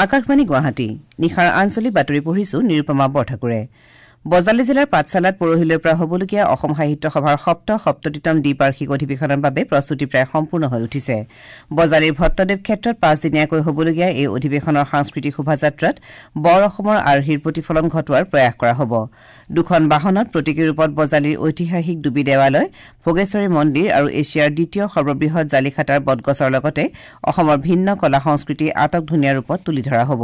আকাশবাণী গুৱাহাটী, নিশাৰ আঞ্চলিক বাতৰি পঢ়িছো নিৰুপমা বৰঠাকুৰে। বজালী জিলাৰ পাঠশালাত পৰহিলৈৰ পৰা হ'বলগীয়া অসম সাহিত্য সভাৰ ৭৭তম দ্বিবাৰ্ষিক অধিৱেশনৰ বাবে প্ৰস্তুতি প্ৰায় সম্পূৰ্ণ হৈ উঠিছে। বজালীৰ ভট্টদেৱ ক্ষেত্ৰত পাঁচদিনীয়াকৈ হ'বলগীয়া এই অধিৱেশনৰ সাংস্কৃতিক শোভাযাত্ৰাত বৰ অসমৰ আৰ্হিৰ প্ৰতিফলন ঘটোৱাৰ প্ৰয়াস কৰা হ'ব। দুখন বাহনত প্ৰতীকী ৰূপত বজালীৰ ঐতিহাসিক ডুবি দেৱালয়, ভোগেশ্বৰী মন্দিৰ আৰু এছিয়াৰ দ্বিতীয় সৰ্ববৃহৎ জালিখাটাৰ বটগছৰ লগতে অসমৰ ভিন্ন কলা সংস্কৃতি আটক ধুনীয়া ৰূপত তুলি ধৰা হ'ব।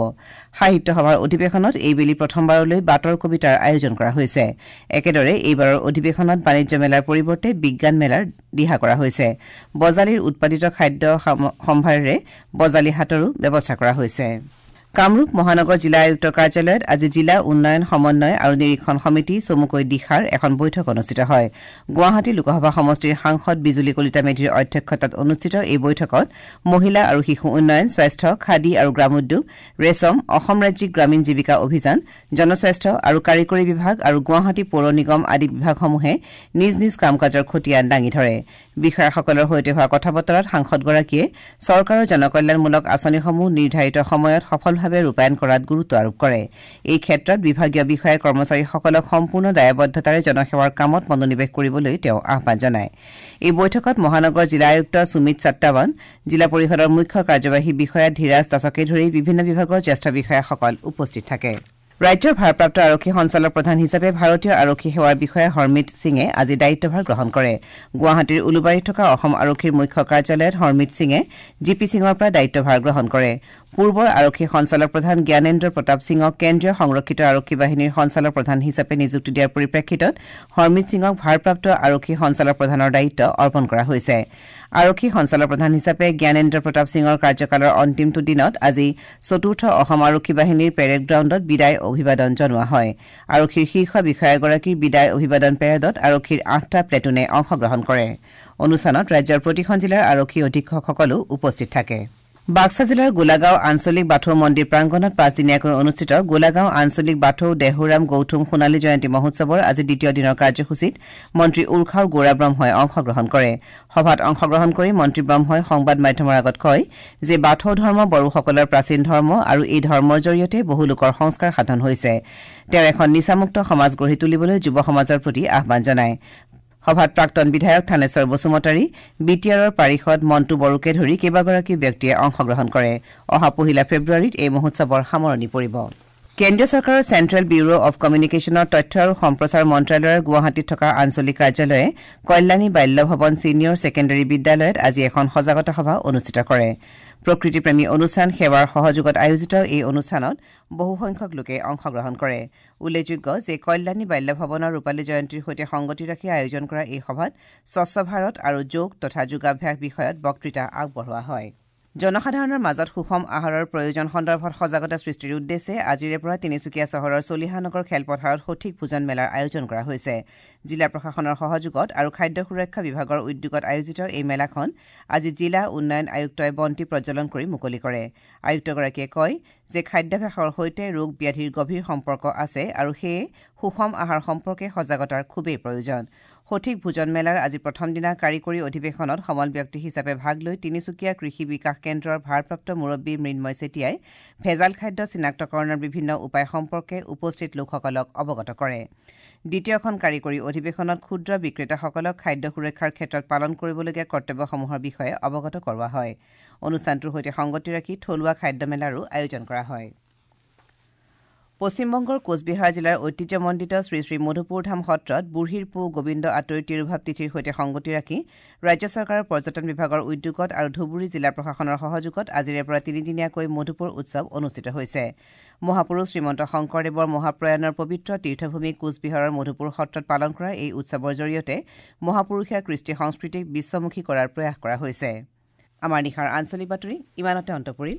সাহিত্য সভাৰ অধিৱেশনত এইবেলি প্ৰথমবাৰলৈ বাটৰ কবিতাৰ আয়োজন কৰা হৈছে। একেদৰে এইবাৰৰ অধিৱেশনত বাণিজ্য মেলাৰ পৰিৱৰ্তে বিজ্ঞান মেলাৰ দিহা কৰা হৈছে। বজালীৰ উৎপাদিত খাদ্য সম্ভাৰেৰে বজালী হাটৰো ব্যৱস্থা কৰা হৈছে। কামৰূপ মহানগৰ জিলা আয়ুক্তৰ কাৰ্যালয়ত আজি জিলা উন্নয়ন সমন্বয় আৰু নিৰীক্ষণ সমিতি চমুকৈ দিশাৰ এখন বৈঠক অনুষ্ঠিত হয়। গুৱাহাটী লোকসভা সমষ্টিৰ সাংসদ বিজুলী কলিতা মেধিৰ অধ্যক্ষতাত অনুষ্ঠিত এই বৈঠকত মহিলা আৰু শিশু উন্নয়ন, স্বাস্থ্য, খাদী আৰু গ্ৰামোদ্যোগ, ৰেচম, অসম ৰাজ্যিক গ্ৰামীণ জীৱিকা অভিযান, জনস্বাস্থ্য আৰু কাৰিকৰী বিভাগ আৰু গুৱাহাটী পৌৰ নিগম আদি বিভাগসমূহে নিজ নিজ কাম কাজৰ খতিয়ান দাঙি ধৰে। বিষয়াসকলৰ সৈতে হোৱা কথা বতৰাত সাংসদগৰাকীয়ে চৰকাৰৰ জনকল্যাণমূলক আঁচনিসমূহ নিৰ্ধাৰিত সময়ত সফলভাৱে ৰূপায়ণ কৰাত গুৰুত্ব আৰোপ কৰে। এই ক্ষেত্ৰত বিভাগীয় বিষয়া কৰ্মচাৰীসকলক সম্পূৰ্ণ দায়বদ্ধতাৰে জনসেৱাৰ কামত মনোনিৱেশ কৰিবলৈ তেওঁ আহ্বান জনায়। এই বৈঠকত মহানগৰ জিলা আয়ুক্ত সুমিত সত্তাৱান, জিলা পৰিষদৰ মুখ্য কাৰ্যবাহী বিষয়া ধীৰাজ দাসকে ধৰি বিভিন্ন বিভাগৰ জ্যেষ্ঠ বিষয়াসকল উপস্থিত থাকে। ৰাজ্যৰ ভাৰপ্ৰাপ্ত আৰক্ষী সঞ্চালক প্ৰধান হিচাপে ভাৰতীয় আৰক্ষী সেৱাৰ বিষয়া হৰমিত সিঙে আজি দায়িত্বভাৰ গ্ৰহণ কৰে। গুৱাহাটীৰ উলুবাৰীত থকা অসম আৰক্ষীৰ মুখ্য কাৰ্যালয়ত হৰমিত সিঙে জি পি সিঙৰ পৰা দায়িত্বভাৰ গ্ৰহণ কৰে। পূৰ্বৰ আৰক্ষী সঞ্চালক প্ৰধান জ্ঞানেন্দ্ৰ প্ৰতাপ সিঙক কেন্দ্ৰীয় সংৰক্ষিত আৰক্ষী বাহিনীৰ সঞ্চালক প্ৰধান হিচাপে নিযুক্তি দিয়াৰ পৰিপ্ৰেক্ষিতত হৰমিত সিঙক ভাৰপ্ৰাপ্ত আৰক্ষী সঞ্চালক প্ৰধানৰ দায়িত্ব অৰ্পণ কৰা হৈছে। আৰক্ষী সঞ্চালক প্ৰধান হিচাপে জ্ঞানেন্দ্ৰ প্ৰতাপ সিঙৰ কাৰ্যকালৰ অন্তিমটো দিনত আজি চতুৰ্থ অসম আৰক্ষী বাহিনীৰ পেৰেড গ্ৰাউণ্ডত বিদায় অভিবাদন জনোৱা হয়। আৰক্ষীৰ শীৰ্ষ বিষয়াগৰাকীৰ বিদায় অভিবাদন পেৰেডত আৰক্ষীৰ ৮টা প্লেটুনে অংশগ্ৰহণ কৰে। অনুষ্ঠানত ৰাজ্যৰ প্ৰতিখন জিলাৰ আৰক্ষী অধীক্ষকসকলো উপস্থিত থাকে। বাক্সা জিলাৰ গোলাগাঁও আঞ্চলিক বাথৌ মন্দিৰ প্ৰাংগণত পাঁচদিনীয়াকৈ অনুষ্ঠিত গোলাগাঁও আঞ্চলিক বাথৌ দেহুৰাম গৌথুম সোণালী জয়ন্তী মহোৎসৱৰ আজি দ্বিতীয় দিনৰ কাৰ্যসূচীত মন্ত্ৰী উৰ্খাও গৌৰা ব্ৰহ্মই অংশগ্ৰহণ কৰে। সভাত অংশগ্ৰহণ কৰি মন্ত্ৰী ব্ৰহ্মই সংবাদ মাধ্যমৰ আগত কয় যে বাথৌ ধৰ্ম বড়োসকলৰ প্ৰাচীন ধৰ্ম আৰু এই ধৰ্মৰ জৰিয়তে বহু লোকৰ সংস্কাৰ সাধন হৈছে। তেওঁ এখন নিচামুক্ত সমাজ গঢ়ি তুলিবলৈ যুৱ সমাজৰ প্ৰতি আহ্বান জনায়। সভাত প্ৰাক্তন বিধায়ক থানেশ্বৰ বসুমতাৰী, বি টি আৰৰ পাৰিষদ মণ্টু বড়োকে ধৰি কেইবাগৰাকীও ব্যক্তিয়ে অংশগ্ৰহণ কৰে। অহা ১ ফেব্ৰুৱাৰীত এই মহোৎসৱৰ সামৰণি পৰিব। কেন্দ্ৰীয় চৰকাৰৰ চেণ্ট্ৰেল ব্যুৰ' অৱ কমিউনিকেশ্যনৰ তথ্য আৰু সম্প্ৰচাৰ মন্ত্ৰালয়ৰ গুৱাহাটীত থকা আঞ্চলিক কাৰ্যালয়ে কল্যাণী বাল্য ভৱন ছিনিয়ৰ ছেকেণ্ডেৰী বিদ্যালয়ত আজি এখন সজাগতা সভা অনুষ্ঠিত কৰে। প্ৰকৃতিপ্ৰেমী অনুষ্ঠান সেৱাৰ সহযোগত আয়োজিত এই অনুষ্ঠানত বহুসংখ্যক লোকে অংশগ্ৰহণ কৰে। উল্লেখযোগ্য যে কল্যাণী বাল্য ভৱনৰ ৰূপালী জয়ন্তীৰ সৈতে সংগতি ৰাখি আয়োজন কৰা এই সভাত স্বচ্ছ ভাৰত আৰু যোগ তথা যোগাভ্যাস বিষয়ত বক্তৃতা আগবঢ়োৱা হয়। জনসাধাৰণৰ মাজত সুষম আহাৰৰ প্ৰয়োজন সন্দৰ্ভত সজাগতা সৃষ্টিৰ উদ্দেশ্যে আজিৰে পৰা তিনিচুকীয়া চহৰৰ চলিহানগৰ খেলপথাৰত সঠিক ভোজন মেলাৰ আয়োজন কৰা হৈছে। জিলা প্ৰশাসনৰ সহযোগত আৰু খাদ্য সুৰক্ষা বিভাগৰ উদ্যোগত আয়োজিত এই মেলাখন আজি জিলা উন্নয়ন আয়ুক্তই বন্তি প্ৰজ্বলন কৰি মুকলি কৰে। আয়ুক্তগৰাকীয়ে কয় যে খাদ্যাভ্যাসৰ সৈতে ৰোগ ব্যাধিৰ গভীৰ সম্পৰ্ক আছে আৰু সেয়ে সুষম আহাৰ সম্পৰ্কে সজাগতাৰ খুবেই প্ৰয়োজন। সঠিক ভোজন মেলাৰ আজি প্ৰথম দিনা কাৰিকৰী অধিৱেশনত সমল ব্যক্তি হিচাপে ভাগ লৈ তিনিচুকীয়া কৃষি বিকাশ কেন্দ্ৰৰ ভাৰপ্ৰাপ্ত মুৰব্বী মৃন্ময় চেতিয়াই ভেজাল খাদ্য চিনাক্তকৰণৰ বিভিন্ন উপায় সম্পৰ্কে উপস্থিত লোকসকলক অৱগত কৰে। দ্বিতীয়খন কাৰিকৰী অধিৱেশনত ক্ষুদ্ৰ বিক্ৰেতাসকলক খাদ্য সুৰক্ষাৰ ক্ষেত্ৰত পালন কৰিবলগীয়া কৰ্তব্যসমূহৰ বিষয়ে অৱগত কৰোৱা হয়। অনুষ্ঠানটোৰ সৈতে সংগতি ৰাখি থলুৱা খাদ্য মেলাৰো আয়োজন কৰা হয়। পশ্চিমবংগৰ কোচবিহাৰ জিলাৰ ঐতিহ্যমণ্ডিত শ্ৰী শ্ৰী মধুপুৰ ধাম সত্ৰত বুঢ়ীৰ পু গোবিন্দ আতৈৰ তিৰুভাৱ তিথিৰ সৈতে সংগতি ৰাখি ৰাজ্য চৰকাৰৰ পৰ্যটন বিভাগৰ উদ্যোগত আৰু ধুবুৰী জিলা প্ৰশাসনৰ সহযোগত আজিৰে পৰা তিনিদিনীয়াকৈ মধুপুৰ উৎসৱ অনুষ্ঠিত হৈছে। মহাপুৰুষ শ্ৰীমন্ত শংকৰদেৱৰ মহাপ্ৰয়াণৰ পবিত্ৰ তীৰ্থভূমি কোচবিহাৰৰ মধুপুৰ সত্ৰত পালন কৰা এই উৎসৱৰ জৰিয়তে মহাপুৰুষীয়া কৃষ্টি সংস্কৃতিক বিশ্বমুখী কৰাৰ প্ৰয়াস কৰা হৈছে। আমাৰ নিশাৰ আঞ্চলিক বাতৰি ইমানতে অন্ত পৰিল।